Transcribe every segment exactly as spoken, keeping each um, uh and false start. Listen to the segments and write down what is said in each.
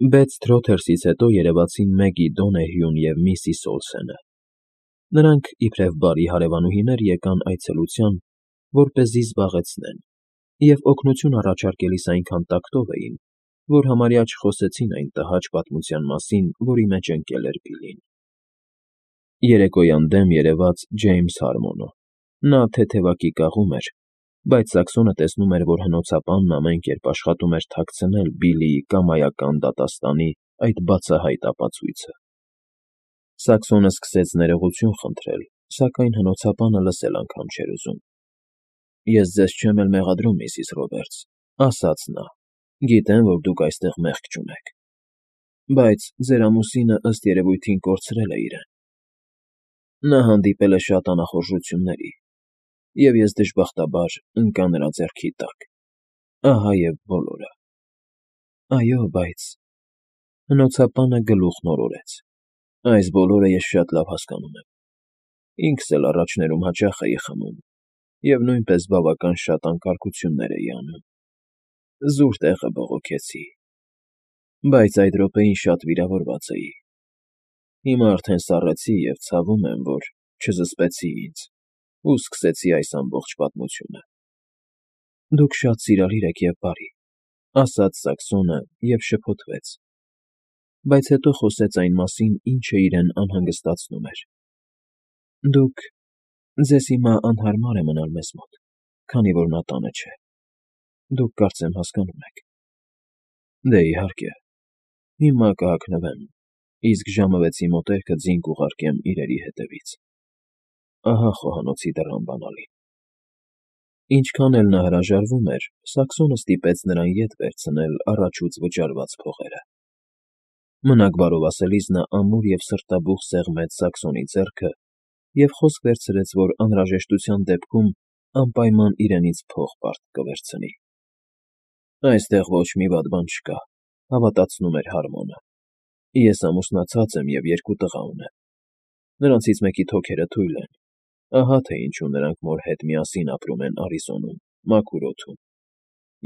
Բեթ Թրոթերսից հետո երևացին Մեգի Դոնեհյուն և միսիս Օլսենը. նրանք, իբրև բարի հարևանուհիներ, եկան այցելության, որպեսզի զբաղեցնեն, և օգնություն առաջարկելիս այնքան տակտով էին, որ համարյա չխոսեցին այն տհաճ պատմության մասին, որի մեջ ընկել էր Բիլլին։ Երեկոյան դեմ երևաց Ջեյմս Հարմոնը։ Նա թեթևակի կաղում էր, բայց Սաքսոնը տեսնում էր, որ հնոցապանն ամեն կերպ աշխատում էր թաքցնել Բիլլիի կամայական դատաստանի այդ բացահայտ ապացույցը։ Սաքսոնը սկսեց ներողություն խնդրել, սակայն հնոցապանը լսել անգամ չէր ուզում։ «Ես ձեզ չեմ էլ մեղադրում, միսիս Ռոբերտս,֊ ասաց նա,֊ գիտեմ, որ դուք այստեղ մեղք չունեք, բայց ձեր ամուսինը, ըստ երևույթին, կորցրել է իրեն։ Նա հանդիպել է շատ անախորժությունների, և ես, դժբախտաբար, ընկա նրա ձեռքի տակ։ Ահա և բոլորը»։ «Այո, բայց…»։ Հնոցապանը գլուխն օրորեց։ «Այս բոլորը ես շատ լավ հասկանում եմ։ Ինքս էլ առաջներում հաճախ էի խմում և նույնպես բավական շատ անկարգություններ էի անում, զուր տեղը բողոքեցի, բայց այդ րոպեին շատ վիրավորված էի։ Հիմա արդեն սառեցի և ցավում եմ, որ չզսպեցի ինձ ու սկսեցի այս ամբողջ պատմությունը»։ «Դուք շատ սիրալիր եք և բարի,֊ ասաց Սաքսոնը և շփոթվեց, բայց հետո խոսեց այն մասին, ինչը իրեն անհանգստացնում էր։ «Դուք… ձեզ հիմա անհարմար է մնալ մեզ մոտ, քանի որ նա տանը չէ։ Դուք, կարծեմ, հասկանում եք»։ «Դե, իհարկե, հիմա կհագնվեմ, իսկ ժամը վեցի մոտերքը ձին կուղարկեմ իրերի հետևից։ Ահա խոհանոցի դռան բանալին»։ Ինչքան էլ նա հրաժարվում էր, Սաքսոնը ստիպեց նրան ետ վերցնել առաջուց վճարված փողերը։ Մնաք բարով ասելիս նա ամուր և սրտաբուխ սեղմեց Սաքսոնի ձեռքը և խոսք վերցրեց, որ անհրաժեշտության դեպքում անպայման իրենից փող պարտք կվերցնի։ «Այստեղ ոչ մի վատ բան չկա,֊ հավատացնում էր Հարմոնը,֊ ես ամուսնացած եմ և երկու տղա ունեմ։ Նրանցից մեկի թոքերը թույլ են, ահա թե ինչու նրանք մոր հետ միասին ապրում են Արիզոնում, մաքուր օդում։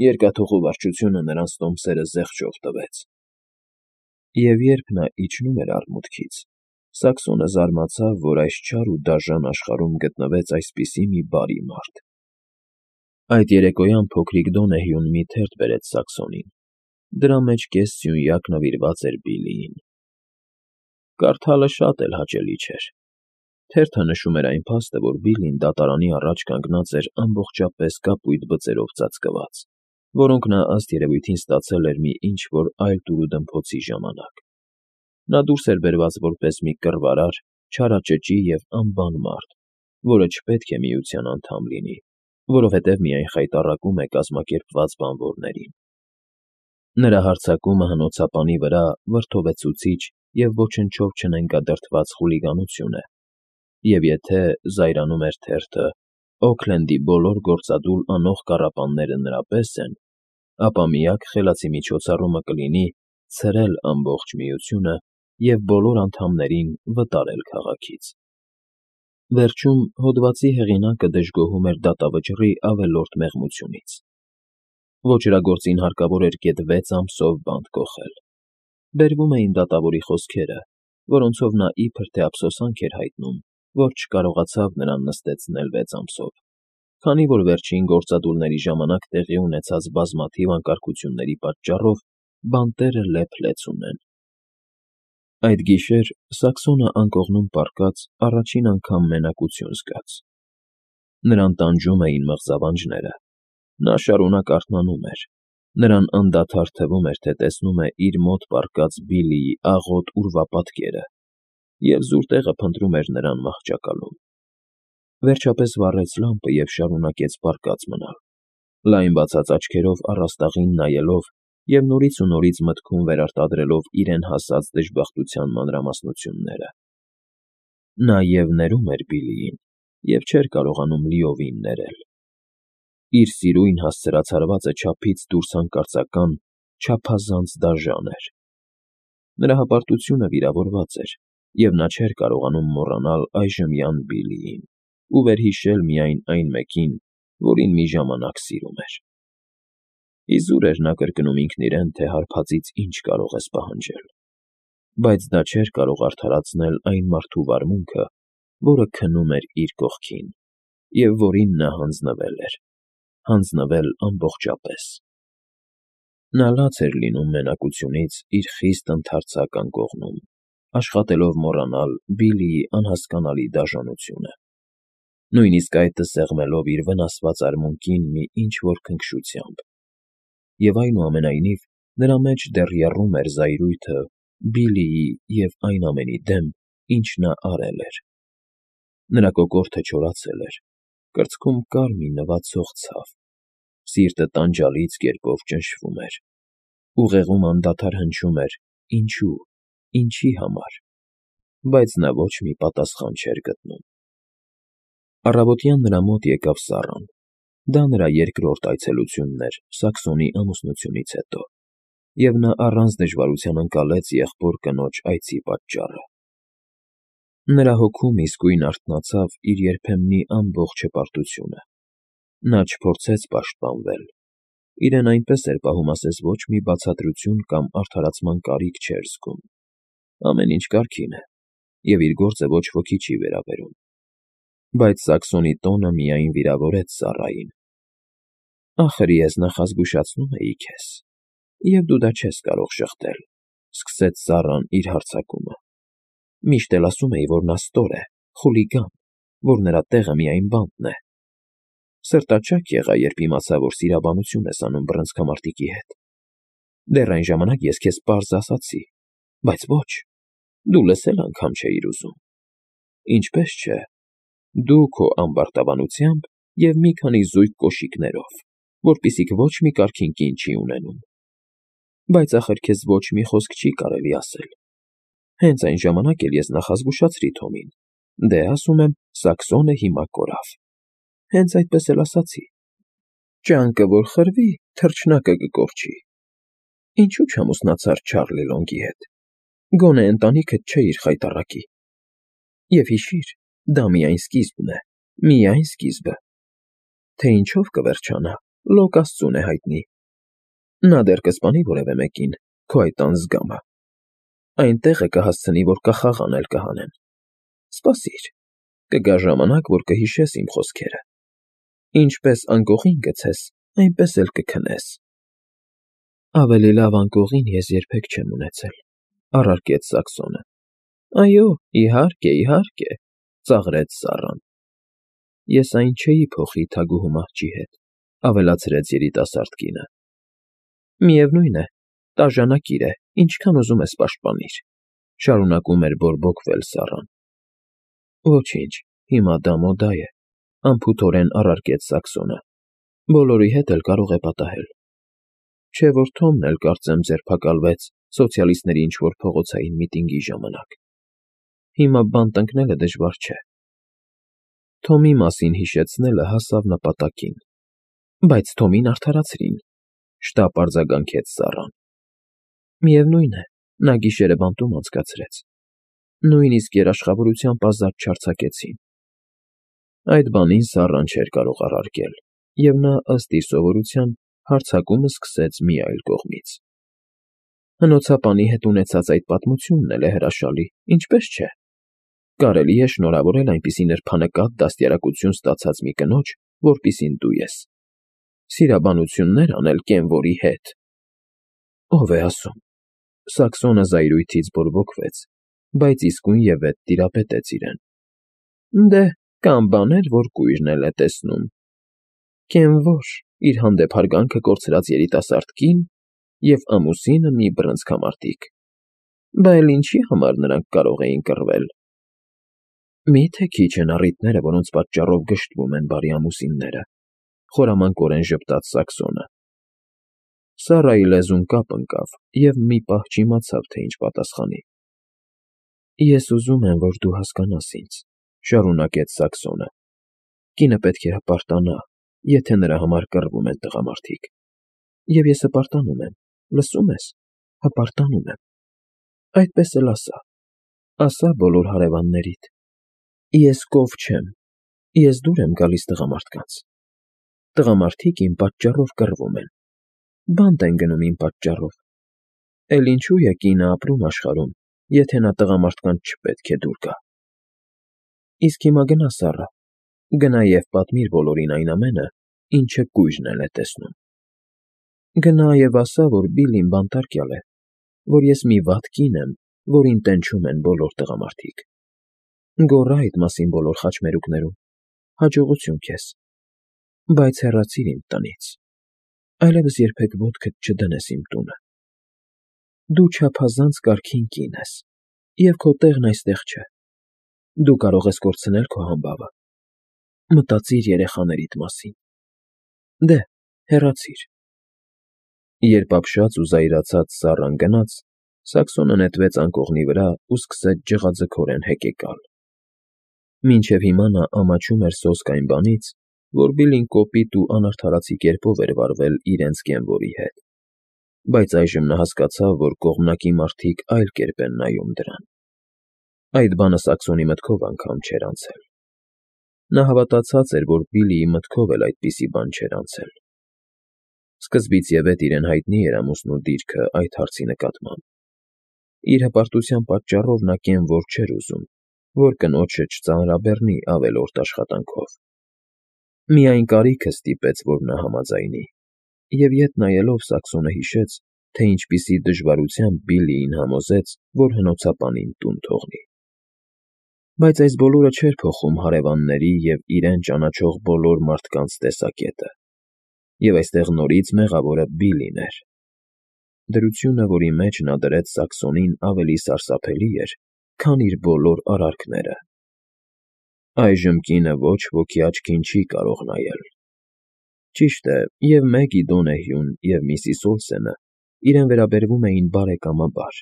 Երկաթուղու վարչությունը նրանց տոմսերը զեղչով տվեց»։ Եվ երբ նա իջնում էր արմունկից, Սաքսոնը զարմացավ, որ այս չար ու դաժան աշխարհում գտնվեց այսպիսի մի բարի մարդ։ Այդ երեկոյան փոքրիկ Դոնեհյուն մի թերթ բերեց Սաքսոնին։ Դրա մեջ կես սյունյակ նվիրված էր Բիլլիին։ Կարդալը շատ էլ հաճելի չէր։ Թերթը նշում էր այն փաստը, որ Բիլլին դատարանի առաջ կանգնած էր ամբողջապես կապույտ բծերով ծածկված, որոնք նա ըստ երևույթին ստացել էր մի ինչ֊որ այլ տուրուդմփոցի ժամանակ։ Նա դուրս էր բերված որպես մի կռվարար, չարաճճի և անբան մարդ, որը չպետք է միության անդամ լինի, որովհետև միայն խայտառակում է կազմակերպված բանվորներին։ Նրա հարձակումը հնոցապանի վրա վրդովեցուցիչ և ոչնչով չնենգադրդված խուլիգանություն է, և եթե, զայրանում էր թերթը, Օքլենդի բոլոր գործադուլ անող կառապանները նրա պես են, ապա միակ խելացի միջոցառումը կլինի ցրել ամբողջ միությունը և բոլոր անդամներին վտարել քաղաքից։ Վերջում հոդվածի հեղինակը դժգոհում էր դատավճռի ավելորդ մեղմությունից։ Ոճրագործին հարկավոր էր գեթ վեց ամսով բանտ կոխել։ Բերվում էին դատավորի խոսքերը, որոնցով նա իբր թե ափսոսանք էր հայտնում, որ չկարողացավ նրան նստեցնել վեց ամսով, քանի որ վերջին գործադուլների ժամանակ տեղի ունեցած բազմաթիվ անկարգությունների պատճառով բանտերը լեփ֊լեցուն են։ Այդ գիշեր Սաքսոնը անկողնում պառկած առաջին անգամ մենակություն զգաց։ Նրան տանջում էին մղձավանջները։ Նա շարունակ արթնանում էր, նրան անդադար թվում էր, թե տեսնում է իր մոտ պառկած Բիլլիի աղոտ ուրվապատկերը և զուր տեղը փնտրում էր նրան մահճակալում։ Վերջապես վառեց լամպը և շարունակեց պառկած մնալ, լայն բացած աչքերով առաստաղին նայելով և նորից ու նորից մտքում վերարտադրելով իրեն հասած դժբախտության մանրամասնությունները։ Նա և՛ ներում էր Բիլլիին և չէր կարողանում լիովին ներել։ Իր սիրուն հասցրացարվածը չափից դուրս հանկարծական, չափազանց դաժան էր։ Նրա հպարտությունը վիրավորված էր, և նա չէր կարողանում մոռանալ այժմյան Բիլլիին ու վերհիշել միայն այն մեկին, որին մի ժամանակ սիրում էր։ Իզուր էր նա կրկնում ինքն իրեն, թե հարբածից ինչ կարող ես պահանջել, բայց դա չէր կարող արդարացնել այն մարդու վարմունքը, որը քնում էր իր կողքին և որին նա հանձնվել էր, հանձնվել ամբողջապես։ Նա լաց էր լինում մենակությունից իր խիստ ընդարձակ անկողնում, աշխատելով մոռանալ Բիլլիի անհասկանալի դաժանությունը, նույնիսկ այդը սեղմելով իր վնասված արմունկին մի ինչ-որ քնքշությամբ, և այնուամենայնիվ նրա մեջ դեռ եռում էր զայրույթը Բիլլիի և այն ամենի դեմ, ինչ նա արել էր։ Նրա կոկորդը չորացել էր, կրծքում կար մի նվացող ցավ, սիրտը տանջալից կերպով ճնշվում էր, ուղեղում անդադար հնչում էր. «Ինչո՞ւ, ինչի՞ համար», բայց նա ոչ մի պատասխան չէր գտնում։ Առավոտյան նրա մոտ եկավ Սառան. դա նրա երկրորդ այցելությունն էր Սաքսոնի ամուսնությունից հետո, և նա առանց դժվարության ընկալեց եղբոր կնոջ այցի պատճառը։ Նրա հոգում իսկույն արթնացավ իր երբեմնի ամբողջ հպարտությունը։ Նա չփորձեց պաշտպանվել, իրեն այնպես էր պահում, ասես ոչ մի բացատրություն կամ արդարացման կարիք չէր զգում, ամեն ինչ կարգին է, և իր գործը ոչ ոքի չի վերաբերում։ Բայց Սաքսոնի տոնը միայն վիրավորեց Սառային։ «Ախր ես նախազգուշացնում էի քեզ, և դու դա չես կարող շղթել», ֊ սկսեց Սառան իր հարձակումը։ «Միշտ էլ ասում էի, որ նա ստոր է, խուլիգան, որ նրա տեղը միայն բանտն է։ Սրտաճաք եղա, երբ իմացա, որ սիրաբանություն ես անում բռնցքամարտիկի հետ։ Դեռ այն ժամանակ ես քեզ պարզ ասացի, բայց ոչ, դու լսել անգամ չէիր ուզում։ Ինչպես չէ, դու քո ամբարտավանությամբ և մի քանի զույգ կոշիկներով, որպիսիք ոչ մի կարգին կին չի ունենում։ Բայց ախր քեզ ոչ մի խոսք չի կարելի ասել։ Հենց այն ժամանակ էլ ես նախազգուշացրի Թոմին. դե, ասում եմ, Սաքսոնը հիմա կորավ։ Հենց այդպես էլ ասացի. ճանկը որ խրվի, թռչնակը կկորչի։ Ինչու չամուսնացար Չարլի Լոնգի հետ, գոնե ընտանիքդ չէիր խայտառակի։ Եվ հիշիր, դա միայն սկիզբն է, միայն սկիզբը։ Թե ինչով կվերջանա, լոկ աստծուն է հայտնի։ Նա դեռ կսպանի որևէ մեկին, քո այդ անձգամը, այն տեղը կհասցնի, որ կախաղան էլ կհանեն։ Սպասիր, կգա ժամանակ, որ կհիշես իմ խոսքերը։ Ինչպես անկողին գցես, այնպես էլ կքնես։ Ավելի լավ անկողին ես երբեք չեմ ունեցել, ֊ առարկեց Սաքսոնը։ Այո, իհարկե, իհարկե, ֊ ծաղրեց Սառան։ Ես այն չէի փոխի թագուհու մահճի հետ, ֊ ավելացրեց երիտասարդ կինը։ Միևնույն է, տաժանակիր է, ինչքան ուզում ես պաշտպանիր, ֊ շարունակում էր բորբոքվել Սառան։ Ոչինչ, հիմա դա մոդա է, ֊ անփութորեն առարկեց Սաքսոնը։ Բոլորի հետ էլ կարող է պատահել։ Չէ որ Թոմն էլ կարծեմ ձերբակալվեց սոցիալիստների ինչ֊որ փողոցային միտինգի ժամանակ։ Հիմա բանտ ընկնելը դժվար չէ։ Թոմի մասին հիշեցնելը հասավ նպատակին։ Բայց Թոմին արդարացրին, ֊ շտապ արձագանքեց Սառան։ Միևնույն է, նա գիշերը բանտում անցկացրեց։ Նույնիսկ երաշխավորությամբ ազատ չարձակեցին։ Այդ բանին Սառան չէր կարող առարկել, և նա, ըստ իր սովորության, հարձակումը սկսեց մի այլ կողմից։ Հնոցապանի հետ ունեցած այդ պատմությունն էլ է հրաշալի, ինչպես չէ։ Կարելի է շնորհավորել այնպիսի նրբանկատ դաստիարակություն ստացած մի կնոջ, որպիսին դու ես։ Սիրաբանություններ անել կենվորի հետ։ Ով է ասում։ Սաքսոնը զայրույթից բորբոքվեց, բայց իսկույնևեթ տիրապետեց իրեն։ Դե, կան բաներ, որ կույրն էլ է տեսնում։ Կենվոր, իր հանդեպ հարգանքը կորցրած երիտասարդ կին և ամուսինը մի բռնցքամարտիկ։ Բա էլ ինչի համար նրանք կարող էին կռվել։ Մի՞թե քիչ են առիթները, որոնց պատճառով գժտվում են բարի ամուսինները, ֊ խորամանկորեն ժպտաց Սաքսոնը։ Սառայի լեզուն կապ ընկավ, և մի պահ չիմացավ, թե ինչ պատասխանի։ Ես ուզում եմ, որ դու հասկանաս ինձ, ֊ շարունակեց Սաքսոնը։ Կինը պետք է հպարտանա, եթե նրա համար կռվում են տղամարդիկ։ Եվ ես հպարտանում եմ, լսո՞ւմ ես, հպարտանում եմ։ Այդպես էլ ասա, ասա բոլոր հարևաններիդ։ Ես կով չեմ, ես դուր եմ գալիս տղամարդկանց։ Տղամարդիկ իմ պատճառով կռվում են։ բանտ են գնում իմ պատճառով։ Էլ ինչու է կինը ապրում աշխարհում, եթե նա տղամարդկանց չպետք է դուր գա։ Իսկ հիմա գնա, Սառա, գնա և պատմիր բոլորին այն ամենը, ինչը կույրն էլ է տեսնում։ Գնա և ասա, որ Բիլլին բանտարկյալ է, որ ես մի վատ կին եմ, որին տենչում են բոլոր տղամարդիկ։ Գոռա այդ մասին բոլոր խաչմերուկներում, հաջողություն քեզ, բայց հեռացիր իմ տնից, այլևս երբեք ոտքդ չդնես իմ տունը։ Դու չափազանց կարգին կին ես, և քո տեղն այստեղ չէ։ Դու կարող ես կորցնել քո համբավը։ Մտածիր երեխաներիդ մասին։ Դե, հեռացիր։ Երբ ապշած ու զայրացած Սառան գնաց, Սաքսոնը նետվեց անկողնի վրա ու սկսեց ջղաձգորեն հեկեկալ։ Մինչև հիմա նա ամաչում էր սոսկ այն բանից, որ Բիլլին կոպիտ ու անարդարացի կերպով էր վարվել իրենց կենվորի հետ, բայց այժմ նա հասկացավ, որ կողմնակի մարդիկ այլ կերպ են նայում դրան։ Այդ բանը Սաքսոնի մտքով անգամ չէր անցել։ Նա հավատացած էր, որ Բիլլիի մտքով էլ այդպիսի բան չէր անցել։ Սկզբից և էդ իրեն հայտնի էր ամուսնու դիրքը այդ հարցի նկատմամբ։ Իր հպարտության պատճառով նա կենվոր չէր ուզում, որ կնոջը չծանրաբեռնի ավելորդ աշխատանքով։ Միայն կարիքը ստիպեց, որ նա համաձայնի, և ետ նայելով Սաքսոնը հիշեց, թե ինչպիսի դժվարությամբ Բիլլիին համոզեց, որ հնոցապանին տուն թողնի։ Բայց այս բոլորը չէր փոխում հարևանների և իրեն ճանաչող բոլոր մարդկանց տեսակետը, և այստեղ նորից մեղավորը Բիլլին էր։ Դրությունը, որի մեջ նա դրեց Սաքսոնին, ավելի սարսափելի էր, քան իր բոլոր արարքները։ Այժմ կինը ոչ ոքի աչքին չի կարող նայել։ Ճիշտ է, և Մեգի Դոնեհյուն և միսիս Օլսենը իրեն վերաբերվում էին բարեկամաբար,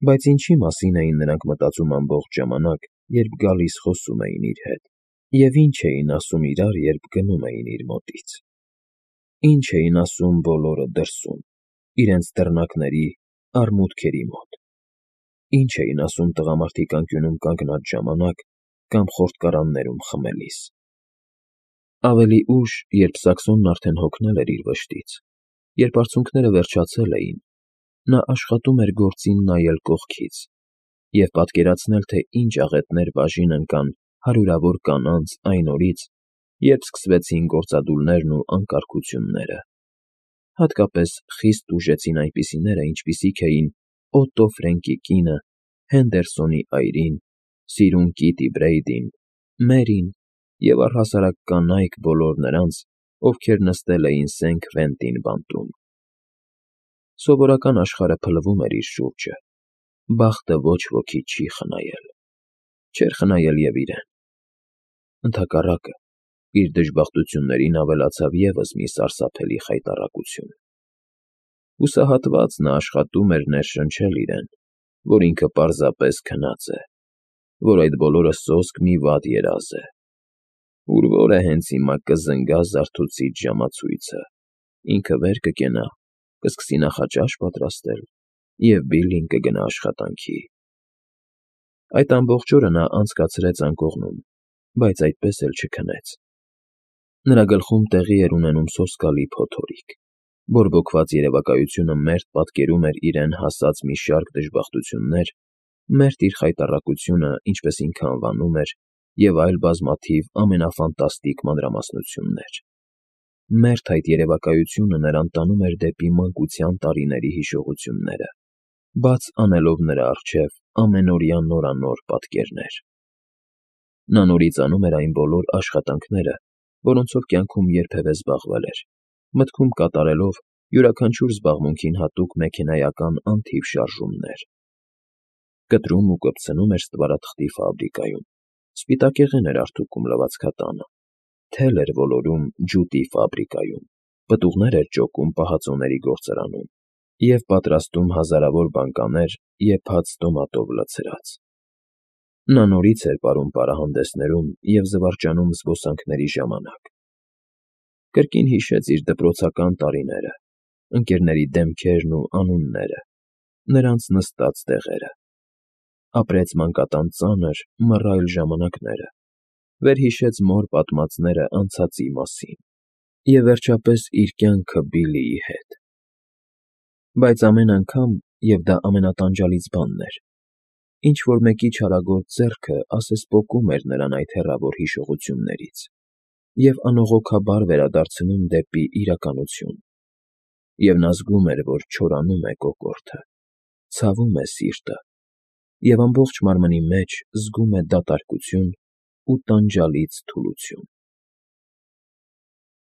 բայց ինչի մասին էին նրանք մտածում ամբողջ ժամանակ, երբ գալիս խոսում էին իր հետ, և ինչ էին ասում իրար, երբ գնում էին իր մոտից։ Ինչ էին ասում բոլորը դրսում, իրենց դռնակների, առմուտքերի մոտ։ Ինչ էին ասում տղամարդիկ անկյունում կանգնած ժամանակ կամ խորտկարաններում խմելիս։ Ավելի ուշ, երբ Սաքսոնն արդեն հոգնել էր իր վշտից, երբ արցունքները վերջացել էին, նա աշխատում էր գործին նայել կողքից և պատկերացնել, թե ինչ աղետներ բաժին ընկան հարյուրավոր կանանց այն օրից, երբ սկսվեցին գործադուլներն ու անկարգությունները։ Հատկապես խիստ տուժեցին այնպիսիները, ինչպիսիք էին Օտո Ֆրենկի կինը, Հենդերսոնի այրին, սիրուն Կիտի Բրեյդին, Մերին և առհասարակ կանայք բոլոր նրանց, ովքեր նստել էին Սեն Քվենտին բանտում։ Սովորական աշխարհը փլվում էր իր շուրջը, բախտը ոչ ոքի չի խնայել։ Չէր խնայել և իրեն։ Ընդհակառակը, իր դժբախտություններին ավելացավ ևս մի սարսափելի խայտառակություն։ Հուսահատված նա աշխատում էր ներշնչել իրեն, որ ինքը պարզապես քնած է, որ այդ բոլորը սոսկ մի վատ երազ է, ուր որ է հենց հիմա կզնգա զարթուցիչ ժամացույցը, ինքը վեր կկենա, կսկսի նախաճաշ պատրաստել, և Բիլլին կգնա աշխատանքի։ Այդ ամբողջ օրը նա անցկացրեց անկողնում, բայց այդպես էլ չքնեց։ Նրա գլխում տեղի էր ունենում սոսկալի փոթորիկ։ Բորբոքված երևակայությունը մերթ պատկերում էր իրեն հասած մի շարք դժբախտություններ, մերթ իր խայտառակությունը, ինչպես ինքը անվանում էր, և այլ բազմաթիվ ամենաֆանտաստիկ մանրամասնություններ։ Մերթ այդ երևակայությունը նրան տանում էր դեպի մանկության տարիների հիշողությունները, բաց անելով նրա առջև ամենօրյա նորանոր պատկերներ։ Նա նորից անում էր այն բոլոր աշխատանքները, որոնցով կյանքում երբևէ զբաղվել էր, մտքում կատարելով յուրաքանչյուր զբաղմունքին հատուկ մեքենայական անթիվ շարժումներ։ Կտրում ու կպցնում էր ստվարաթղթի ֆաբրիկայում, սպիտակեղեն էր արդուկում լվացքատանը, թել էր ոլորում ջուտի ֆաբրիկայում, պտուղներ էր ճոկում պահածոների գործարանում և պատրաստում հազարավոր բանկաներ եփած տոմատով լցրած։ Նա նորից էր պարում պարահանդեսներում և զվարճանում զբոսանքների ժամանակ։ Կրկին հիշեց իր դպրոցական տարիները, ընկերների դեմքերն ու անունները, նրանց նստած տեղերը։ Ապրեց մանկատան ծանր, մռայլ ժամանակները, վերհիշեց մոր պատմածները անցածի մասին և, վերջապես, իր կյանքը Բիլլիի հետ։ Բայց ամեն անգամ, և դա ամենատանջալից բանն էր, ինչ֊որ մեկի չարագործ ձեռքը ասես պոկում էր նրան այդ հեռավոր հիշողություններից և անողոքաբար վերադարձնում դեպի իրականություն, և նա զգում էր, որ չորանում է կոկորդը, ցավում է սիրտը և ամբողջ մարմնի մեջ զգում է դատարկություն ու տանջալից թուլություն։